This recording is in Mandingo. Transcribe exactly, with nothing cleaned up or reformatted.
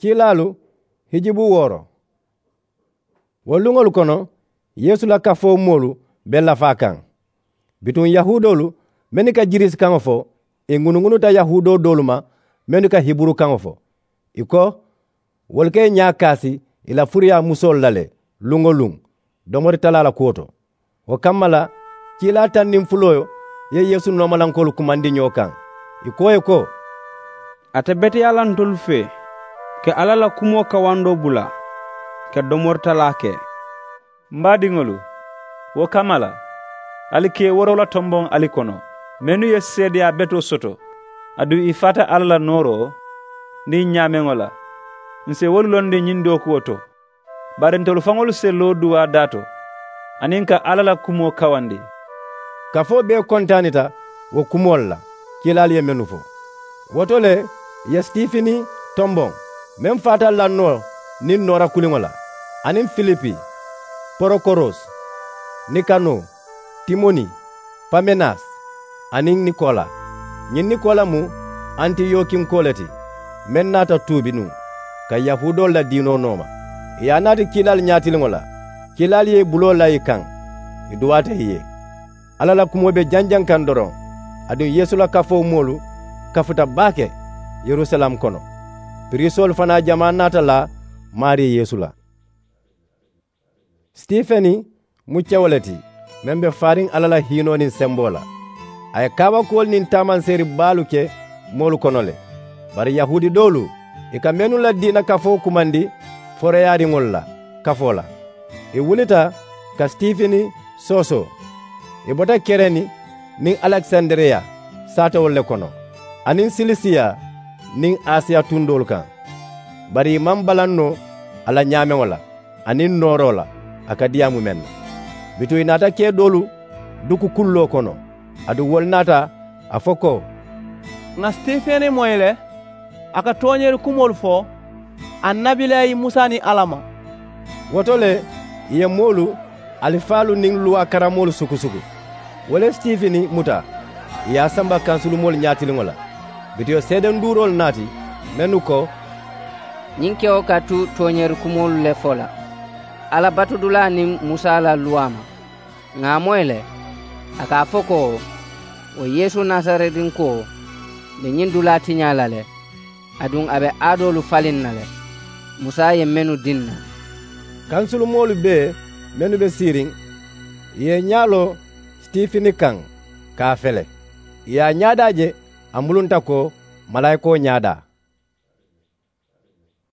Kiilaalu hijibu wooro. Wo luŋolu kono, yeesu la kafoo moolu be lafaa kaŋ. Bituŋ yahuudoolu mennu ka jiriisi kaŋo fo, ì ŋunuŋunuta yahuudoo doolu ma mennu ka hiburu kaŋo fo. Ì ko, wolu ka ì ñaa kaasi ì la furiyaa musoolu la le luŋ-wo-luŋ domori talaa la kuwo to. Wo kamma la, kiilaa taŋ niŋ fuloo ye yeesu noomalankoolu kumandi ñoo kaŋ, ì ko ì ye ko, a te beteyaa la ntolu fee ka alla la kumoo kawandoo bula ka domori talaa ke. M baadiŋolu, wo kamma la, ali ka ì wooroo la tomboŋ ali kono mennu ye seedeyaa betoo soto, aduŋ ì faata alla la nooroo niŋ ñaameŋo la. Ǹ si wolu londi ñiŋ dookuwo to, bari ntolu faŋolu si loo duwaa daa to aniŋ ka alla la kumoo kawandi. Kafoo bee kontaanita wo kumoolu la kiilaalu ye mennu fo. Wo to le, ì ye sitifini tomboŋ, meŋ faata lannoo niŋ noora kuliŋo la, aniŋ filipi, porokoros, nikanoo, timoni, pamenas, aniŋ nikola. Ñiŋ nikola mu antiyokinkoo le ti, meŋ naata tuubi nuŋ ka yahuudoolu la diinoo nooma. Ì ye a naati kiilaalu ñaatiliŋo la, kiilaalu ye ì buloo laa ì kaŋ, ì duwaata ì ye. Alla la kumoo be janjaŋ kaŋ doroŋ, aduŋ yeesu la kafoo moolu kafuta baake yerusalem kono. Piriisoolu fanaa jamaa naata laa maarii yeesu la. Sitifeni mu kewo le ti, meŋ be faariŋ alla la hiinoo niŋ semboo la. A ye kaabakuwolu niŋ taamanseeri baalu ke moolu kono le. Bari yahuudi doolu, ì ka mennu la diina kafoo kumandi foroyaariŋolu la kafoo la, ì wulita ka sitifini soosoo. Ì bota kereni niŋ alekisandiriya saatewolu le kono, aniŋ silisiya niŋ asiya tundoolu kaŋ. Bari ì maŋ balaŋ noo a la ñaameŋo la aniŋ nooroo la, a ka diyaamu meŋ na. Bituŋ ì naata kee doolu duku kulloo kono, aduŋ wolu naata a fo ko, ŋà sitifeni moyi le, a ka tooñeeri kumoolu fo annabilayi musa niŋ alla ma. Wo to le, ì ye moolu alifaalu niŋ luwaa karamoolu sukusuku. Wo le sitifini muta, ì ye a samba kansulumoolu ñaatiliŋo la. Bituŋ seedenduuroolu naati, mennu ko, ñiŋ kewo ka tu tooñeeri kumoolu le fo la alla batudulaa niŋ musa la luwaa ma. Ŋà a moyi le, a ka a fo ko, wo yeesu nasaretinkuwo be ñiŋ dulaa tiñaa la le, aduŋ a be aadoolu faliŋ na le, musa ye mennu diŋ na. Kansulumoolu bee mennu be siiriŋ, ì ye ì ñaa loo sitifini kaŋ ka a fele. Ì ye a ñaadaa je, a mulunta ko malaayikoo ñaadaa.